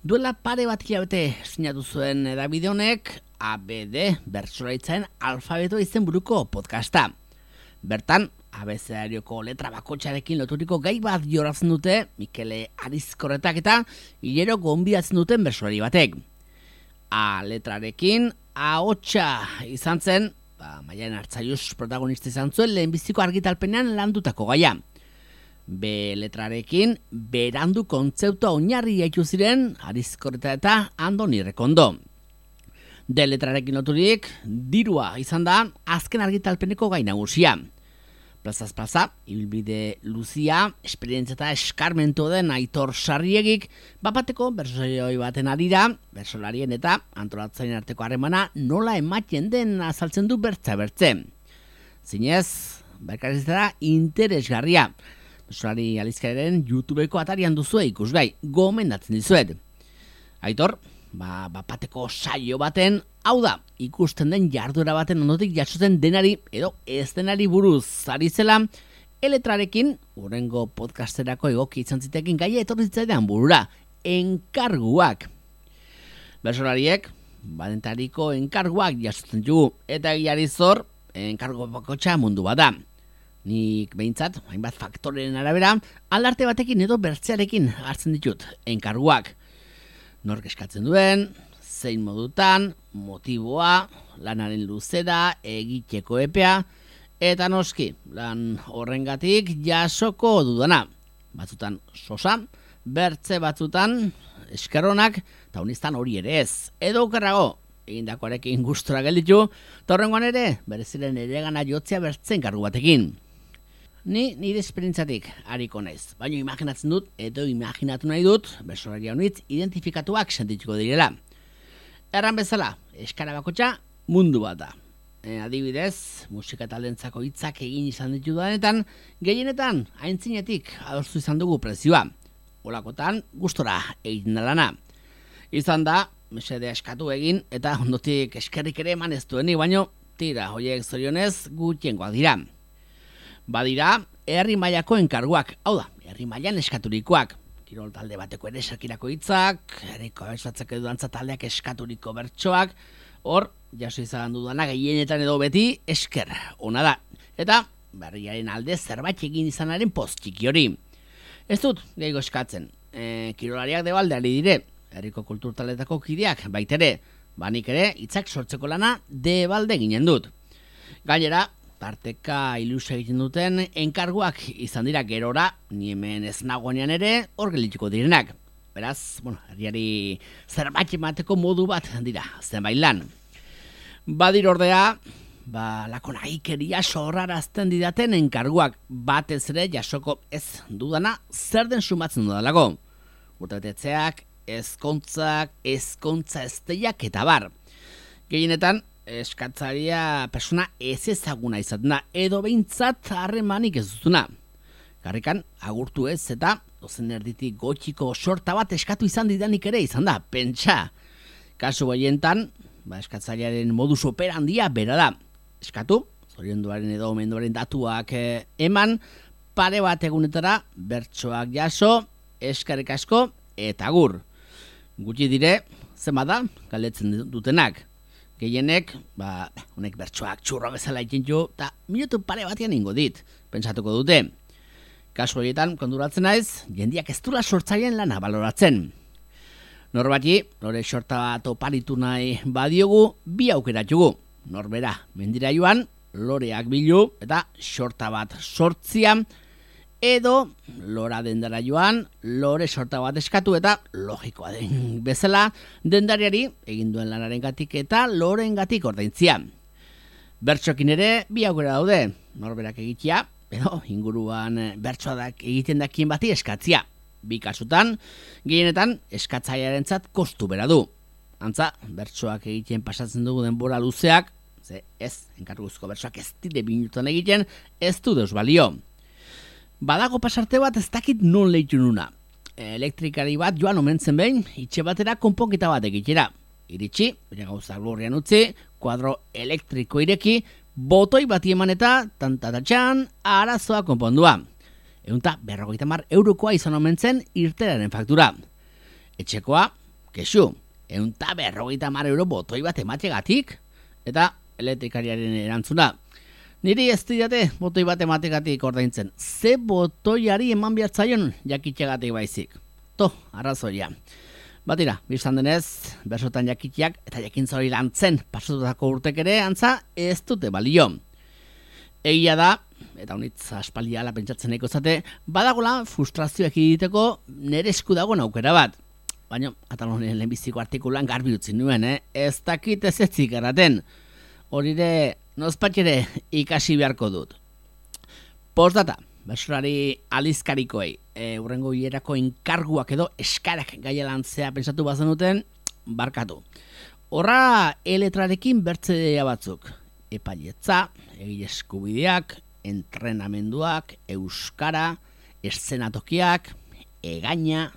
Duela pare bat hilabete sinatu zuen hedabide honek ABD bertsolaritzaren alfabeto izenburuko podcasta. Bertan, abecedarioko letra bakotxarekin loturiko gai bat jorratzen dute Mikele Arizkorretak eta hilero gonbidatzen duten bertsolari batek. A letrarekin ahotsa izan zen, Maialen Artzaius protagonista izan zuen lehenbiziko argitalpenean landutako gaia. B letrarekin berandu kontzeptua oinarri jaitu ziren Arizkorreta eta Andoni Rekondo. D letrarekin loturik dirua izan da azken argitalpeneko gai nagusia. Plazaz plaza, ibilbide luzia, esperientzia eta eskarmentu den Aitor Sarriegik bapateko bersolari baten arira, bersolarien eta antolatzaileen arteko harremana nola ematen den azaltzen du bertze. Zinez, berkariztara interesgarria. Bersolari alizkaren YouTubeko atarian duzue ikusgai, gomendatzen dizuet. Aitor, bapateko saio baten, hau da, ikusten den jarduera baten ondotik jasotzen denari edo ez denari buruz ari zela, eletrarekin, hurrengo podcasterako egoki izan zitekin gaia etorri zitzaidan burura, enkarguak. Bersolariek, badentariko enkarguak jasotzen dugu, eta egiari zor, enkargu bakotxa mundu bada. Nik behintzat, hainbat faktoren arabera, aldarte batekin edo bertzearekin hartzen ditut, enkarguak. Nork eskatzen duen, zein modutan, motiboa, lanaren luzera, egiteko epea, eta noski, lan horrengatik jasoko dudana. Batzutan sosa, bertze batzutan eskerronak, eta honistan hori ere ez. Edo okerrago, egindakoarekin gustora gelditu, eta horrengoan ere, bereziren eregana jotzea bertzen kargu batekin. Ni nire esperientzatik hariko naiz, baina imaginatzen dut edo imaginatu nahi dut bersolari honitz identifikatuak sentituko direla. Erran bezala, eskara bakotxa mundu bat da. Adibidez, musika talentzako hitzak egin izan ditudanetan, gehienetan aintzinetik adostu izan dugu prezioa. Olakotan, gustora egiten da lana. Izan da, mesede eskatu egin eta ondotik eskerrik ere eman ez duenik, baino tira, hoiek zorionez gutiengoak dira. Badira, herri mailako enkarguak, hau da, herri mailan eskaturikoak. Kirol talde bateko ere esakirako hitzak, herriko abeslatzak edo dantza taldeak eskaturiko bertsoak, hor, jaso izan dudana gehienetan edo beti esker, ona da. Eta, berriaren alde zerbait egin izanaren post txiki hori. Ez dut, gehiago eskatzen, kirolariak debaldeari dire, herriko kultur taldetako kideak baitere, banik ere, hitzak sortzeko lana debalde ginen dut. Gainera, tarteka ilusia egiten duten enkarguak izan dira gerora, ni hemen ez nagoenean ere hor geldituko direnak. Beraz, herriari zerbait emateko modu bat dira, zenbait lan. Badir ordea, lako nahikeria sorrarazten didaten enkarguak batez ere jasoko ez dudana zer den sumatzen dudalako. Urtebetetzeak, ezkontza ezteiak eta bar. Gehienetan, eskatzaria persona ez ezaguna izaten da, edo behintzat harremanik ez duzuna. Garrikan, agurtu ez eta dozen erditik gotxiko sorta bat eskatu izan didanik ere izan da, pentsa. Kasu goientan, eskatzailearen modus operandia bera da. Eskatu, zorionduaren edo omenduaren datuak eman, pare bat egunetara bertsoak jaso, eskarrik asko eta agur. Gutxi dire, zenbat da, galdetzen dutenak. Gehienek, honek bertsoak txurro bezala ikintu, eta minutu pare batean ingo dit, pentsatuko dute. Kasu horietan, konduratzen naiz, jendiak ez dula sortzaileen lana baloratzen. Norbati, lore sorta bat oparitu nahi badiogu, bi aukeratugu. Norbera, mendira joan, loreak bilu, eta sorta bat sortzia, edo lora dendara joan, lore sorta bat eskatu eta logikoa den bezala dendariari egin duen lanarengatik eta lorengatik ordaintzia. Bertsokin ere bi aukera daude, norberak egitea, edo inguruan bertsoak egiten dakien bati eskatzia. Bi kasutan, gehienetan eskatzailearentzat kostu bera du. Antza, bertsoak egiten pasatzen dugu denbora luzeak, enkarguzko bertsoak ez dire minutuan egiten, ez du deus balio. Badago pasarte bat ez dakit non lehitu nuna. Elektrikari bat joan omentzen behin, itxe batera konponketa bat egitera. Iritsi, bere gauzak lurrian utzi, kuadro elektriko ireki, botoi bati eman eta tantatatxan arazoa konpondua. 150 eurokoa izan omentzen irteraren faktura. Etxekoa, kexu, 150 euro botoi bat emategatik, eta elektrikariaren erantzuna. Niri ez didate botoi bat emategatik ordaintzen, ze botoiari eman behartzaion jakitxegatik baizik. Arrazoia. Batira, biztan denez, bersotan jakitiak eta jakintza hori lantzen pasatutako urtek ere antza ez dute balio. Egia da, eta honitz aspaldiala pentsatzen nahiko zate, badagola frustrazioak egiteko nere esku dagoen aukera bat. Baina, atal honen lehenbiziko artikulan garbi utzi nuen, ez dakit ez etzik eraten. Horire, nozpatxere ikasi beharko dut. Postdata, bersolari alizkarikoei, urrengo hierako enkarguak edo eskarak gaia lantzea pentsatu bazenuten, barkatu. Horra eletrarekin bertzea batzuk. Epailetza, egile eskubideak, entrenamenduak, euskara, eszenatokiak, egaina.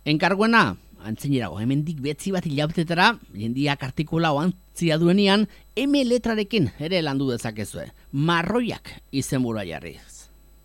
Enkarguena, antzinerago, hemendik betzi bat hilabetetara, jendiak artikula oantzia duenian, letrarekin ere landu dezakezue. Marroiak izenburua jarriz.